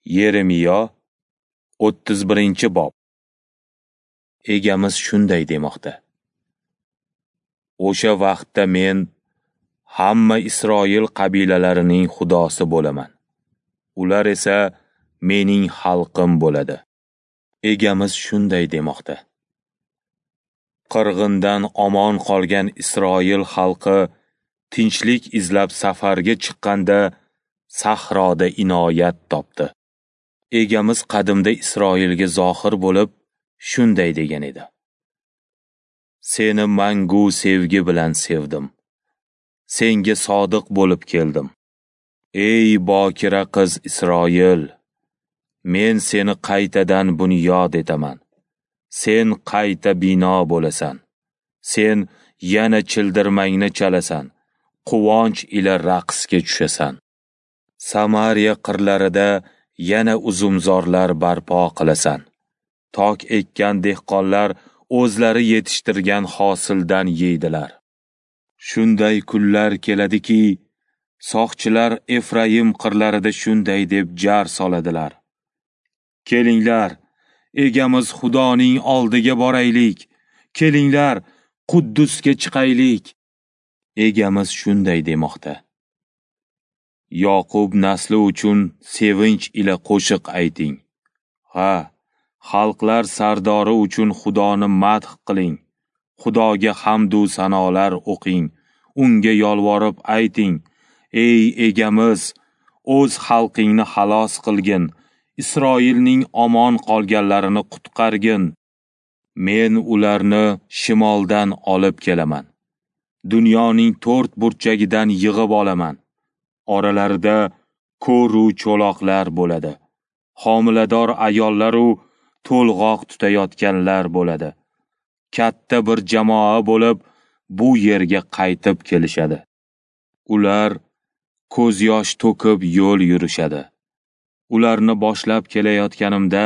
Yeremiyo 31-bob. Egamiz shunday demoqda: O'sha vaqtda men hamma Isroil qabilalarining xudosi bo'laman. Ular esa mening xalqim bo'ladi. Egamiz shunday demoqda: Qirg'indan omon qolgan Isroil xalqi tinchlik izlab safarga chiqqanda sahroda inoyat topdi. Egamiz qadimda Isroilga zohir bo'lib shunday degan edi: Seni mangu sevgi bilan sevdim. Senga sodiq bo'lib keldim. Ey bokira qiz Isroil, men seni qaytadan bunyod etaman. Sen qayta bino bo'lasan. Sen yana childirmangni chalasan, quvonch ila raqsga tushasan. Samariya qirlarida yana uzumzorlar barpo qilasan. Tok ekkan dehqonlar o'zlari yetishtirgan hosildan yeydilar. Shunday kunlar keladiki, soqchilar Efraim qirlarida shunday deb jar soladilar: Kelinglar, egamiz Xudoning oldiga boraylik. Kelinglar, Quddusga chiqaylik. Egamiz shunday demoqda: Yoqub nasli uchun sevinch ila qo'shiq ayting. Ha, xalqlar sardori uchun Xudoni madh qiling. Xudoga hamd u sanolar o'qing. Unga yolvorib ayting: Ey egamiz, o'z xalqingni xalos qilgin. Isroilning omon qolganlarini qutqargin. Men ularni shimoldan olib kelaman. Dunyoning to'rt burchagidan yig'ib olaman. Oralarida ko'ru cho'loqlar bo'ladi. Homilador ayollar-u to'lg'oq tutayotganlar bo'ladi. Katta bir jamoa bo'lib bu yerga qaytib kelishadi. Ular ko'z yosh to'kib yo'l yurishadi. Ularni boshlab kelayotganimda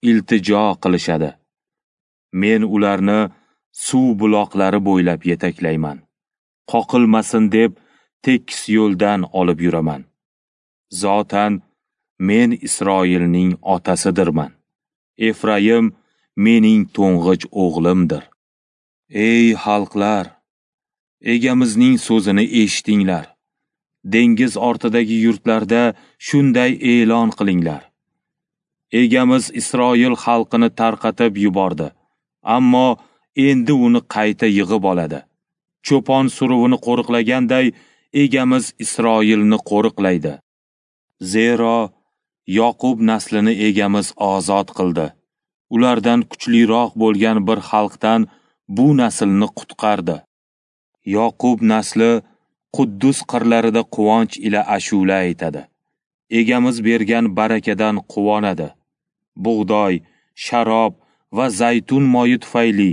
iltijo qilishadi. Men ularni suv buloqlari bo'ylab yetaklayman. Qoqilmasin deb tekis yo'ldan olib yuraman. Zotan men Isroilning otasidirman. Efraim mening to'ng'ich o'g'limdir. Ey xalqlar, egamizning so'zini eshitinglar. Dengiz ortidagi yurtlarda shunday e'lon qilinglar: Egamiz Isroil xalqini tarqatib yubordi, ammo endi uni qayta yig'ib oladi. Cho'pon suruvini qo'riqlaganday egamiz Isroilni qo'riqlaydi. Zero Yoqub naslini egamiz ozod qildi. Ulardan kuchliroq bo'lgan bir xalqdan bu naslni qutqardi. Yoqub nasli Quddus qirlarida quvonch ila ashula aytadi. Egamiz bergan barakadan quvonadi. Bug'doy, sharob va zaytun moyi tufayli,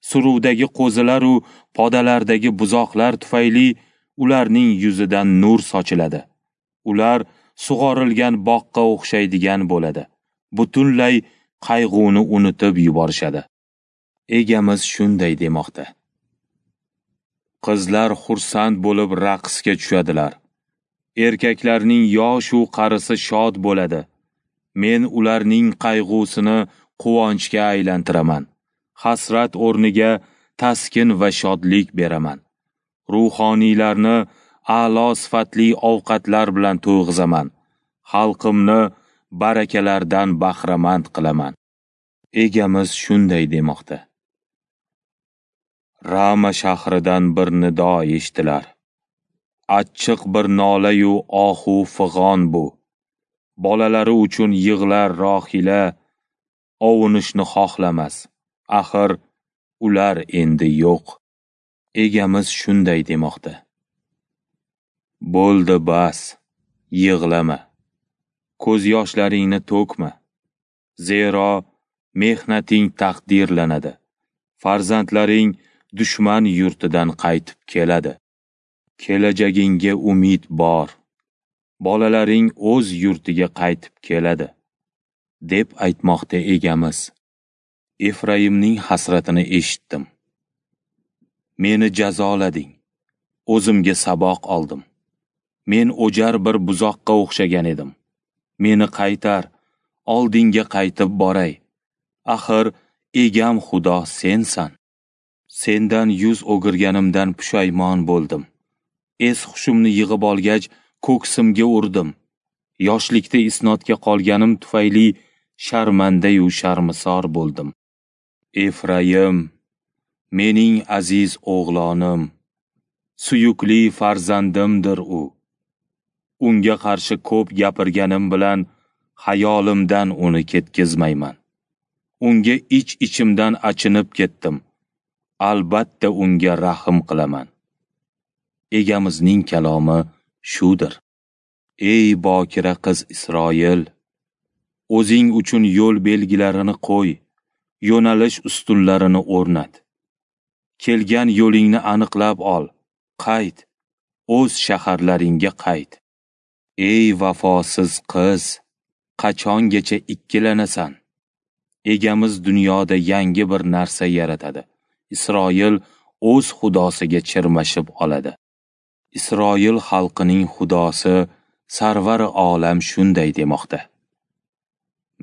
suruvdagi qo'zilar u podalardagi buzoqlar tufayli ularning yuzidan nur sochiladi. Ular sug'orilgan boqqa o'xshaydigan bo'ladi. Butunlay qayg'uni unutib yuborishadi. Egamiz shunday demoqda: Qizlar xursand bo'lib raqsga tushadilar. Erkaklarning yosh u qarisi shod bo'ladi. Men ularning qayg'usini quvonchga aylantiraman. Hasrat o'rniga taskin va shodlik beraman. Ruhoniylarni a'lo sifatli ovqatlar bilan to'yg'izaman. Xalqimni barakalardan bahramand qilaman. Egamiz shunday demoqda: Rama shahridan bir nido eshitilar. Achchiq bir nola-yu ohu fig'on bu. Bolalari uchun yig'lar Rohila, ovunishni xohlamas. Axir ular endi yo'q. Egamiz shunday demoqda: Bo'ldi bas, yig'lama. Ko'z yoshlaringni to'kma. Zero mehnating taqdirlanadi. Farzandlaring dushman yurtidan qaytib keladi. Kelajagingga umid bor. Bolalaring o'z yurtiga qaytib keladi, deb aytmoqda egamiz. Efraimning hasratini eshitdim. Meni jazolading. O'zimga saboq oldim. Men o'jar bir buzoqqa o'xshagan edim. Meni qaytar, oldingga qaytib boray. Axir egam Xudo sensan. Sendan yuz o'girganimdan pushaymon bo'ldim. Es-hushimni yig'ib olgach, ko'ksimga urdim. Yoshlikda isnodga qolganim tufayli sharmandayu sharmisor bo'ldim. Efrayim, mening aziz o'g'lonim, suyukli farzandimdir u. Unga qarshi ko'p gapirganim bilan xayolimdan uni ketkizmayman. Unga ich-ichimdan achinib ketdim. Albatta unga rahm qilaman. Egamizning kalomi shudir. Ey bokira qiz Isroil, o'zing uchun yo'l belgilarini qo'y, yo'nalish ustunlarini o'rnat. Kelgan yo'lingni aniqlab ol, qayt, o'z shaharlaringga qayt. Ey vafosiz qiz, qachongacha ikkilanasan? Egamiz dunyoda yangi bir narsa yaratadi. Isroil o'z xudosiga chirmashib oladi. Isroil xalqining xudosi Sarvar olam shunday demoqda: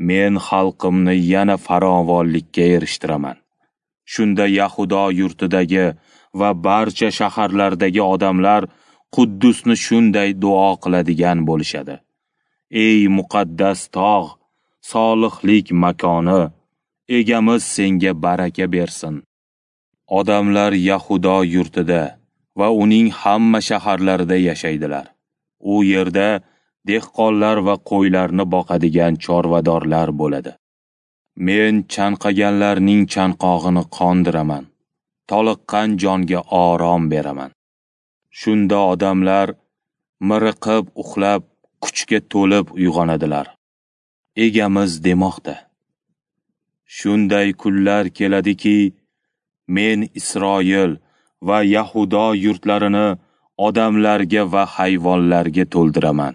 Men xalqimni yana farovonlikka erishtiraman. Shunda Yahudo yurtidagi va barcha shaharlardagi odamlar Quddusni shunday duo qiladigan bo'lishadi: Ey muqaddas tog', solihlik makoni, egamiz senga baraka bersin. Odamlar Yahudo yurtida va uning hamma shaharlarida yashaydilar. U yerda dehqonlar va qo'ylarni boqadigan chorvadorlar bo'ladi. Men chanqaganlarning chanqog'ini qondiraman, toliqqan jonga orom beraman. Shunda odamlar miriqib uxlab, kuchga to'lib uyg'onadilar. Egamiz demoqda: Shunday kunlar keladiki, men Isroil va Yahudo yurtlarini odamlarga va hayvonlarga to'ldiraman.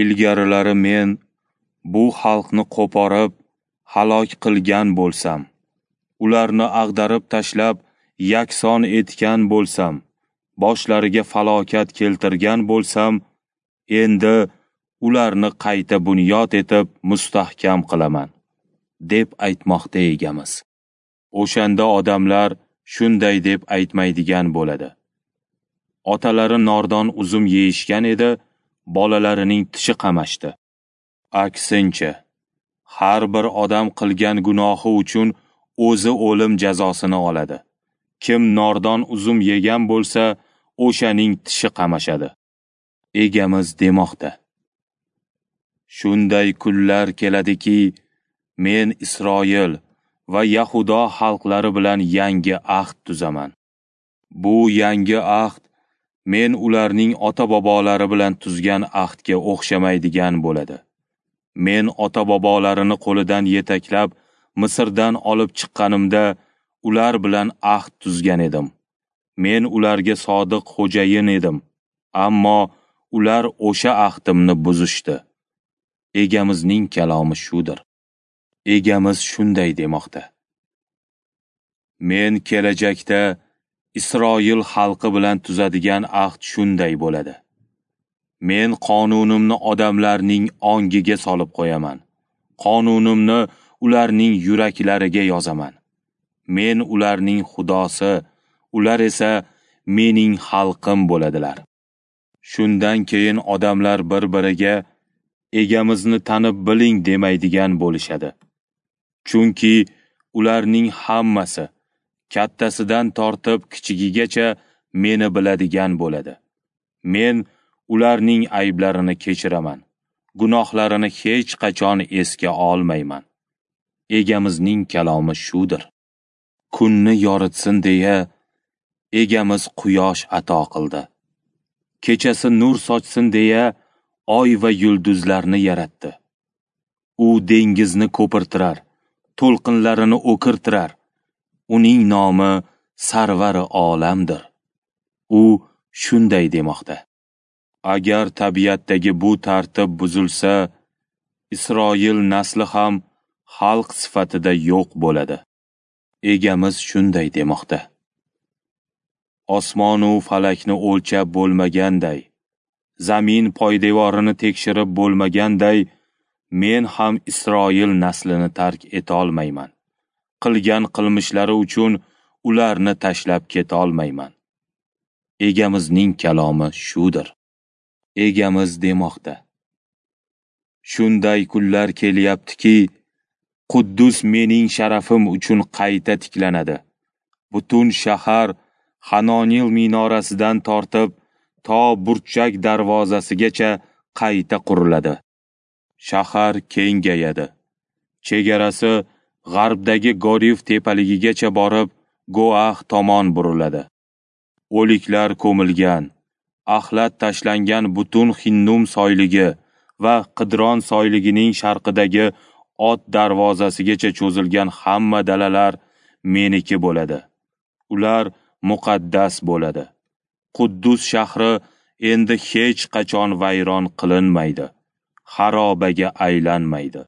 Ilgarilari men bu xalqni qo'porib, halok qilgan bo'lsam, ularni ag'darib tashlab, yakson etgan bo'lsam, boshlariga falokat keltirgan bo'lsam, endi ularni qayta bunyod etib mustahkam qilaman, deb aytmoqda egamiz. O'shanda odamlar shunday deb aytmaydigan bo'ladi: Otalari nordon uzum yeyishgan edi, bolalarining tishi qamashdi. Aksincha, har bir odam qilgan gunohi uchun o'zi o'lim jazosini oladi. Kim nordon uzum yegan bo'lsa, o'shaning tishi qamashadi. Egamiz demoqda: Shunday kunlar keladiki, men Isroil va Yahudo xalqlari bilan yangi ahd tuzaman. Bu yangi ahd men ularning ota-bobolari bilan tuzgan ahdga o'xshamaydigan bo'ladi. Men ota-bobolarini qo'lidan yetaklab Misrdan olib chiqqanimda ular bilan ahd tuzgan edim. Men ularga sodiq xo'jayin edim, ammo ular o'sha ahdimni buzishdi. Egamizning kalomi shudir. Egamiz shunday demoqda: Men kelajakda Isroil xalqi bilan tuzadigan ahd shunday bo'ladi. Men qonunimni odamlarning ongiga solib qo'yaman. Qonunimni ularning yuraklariga yozaman. Men ularning xudosi, ular esa mening xalqim bo'ladilar. Shundan keyin odamlar bir-biriga egamizni tanib biling demaydigan bo'lishadi. Chunki ularning hammasi, kattasidan tortib kichigigacha meni biladigan bo'ladi. Men ularning ayblarini kechiraman, gunohlarini hech qachon esga olmayman. Egamizning kalomi shudir. Kunni yoritsin deya egamiz quyosh ato qildi. Kechasi nur sochsin deya oy va yulduzlarni yaratdi. U dengizni ko'pirtirar, to'lqinlarini o'kirtirar. Uning nomi Sarvari olamdir. U shunday demoqda: Agar tabiatdagi bu tartib buzilsa, Isroil nasli ham xalq sifatida yo'q bo'ladi. Egamiz shunday demoqda: Osmon u falakni o'lchab bo'lmaganday, zamin poydevorini tekshirib bo'lmaganday, men ham Isroil naslini tark etolmayman. Qilgan qilmishlari uchun ularni tashlab ketolmayman. Egamizning kalomi shudir. Egamiz demoqda: Shunday kunlar kelyaptiki, Quddus mening sharafim uchun qayta tiklanadi. Butun shahar Hanonil minorasidan tortib to Burchak darvozasigacha qayta quriladi. Shahar kengayadi. Chegarasi g'arbdagi Goriv tepaligigacha borib, Goah tomon buriladi. O'liklar ko'milgan, axlat tashlangan butun Hinnum soyligi va Qidron soyligining sharqidagi Ot darvozasigacha cho'zilgan hamma dalalar meniki bo'ladi. Ular muqaddas bo'ladi. Quddus shahri endi hech qachon vayron qilinmaydi, xarobaga aylanmaydi.